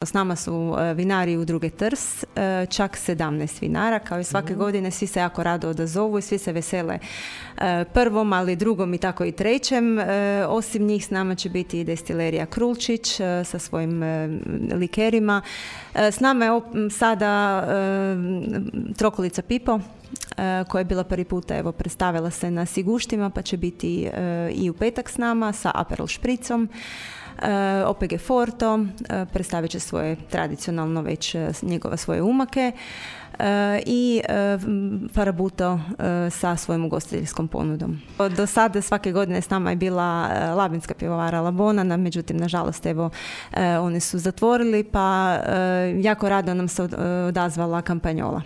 S nama su vinari Udruge Trst, čak 17 vinara, kao i svake godine, svi se jako rado odazovu i svi se vesele prvom, ali drugom i tako i trećem. Osim njih s nama će biti i destilerija Krulčić sa svojim likerima. S nama je sada Trokolica Pipo, koja je bila prvi puta, predstavila se na Siguštima, pa će biti i u petak s nama sa Aperol špricom. OPG Forto predstavit će svoje tradicionalno već svoje umake i Farabuto sa svojom ugostiteljskom ponudom. Do sada svake godine s nama je bila labinska pivovara Labona, međutim, nažalost, oni su zatvorili, pa jako rado nam se odazvala Kampanjola.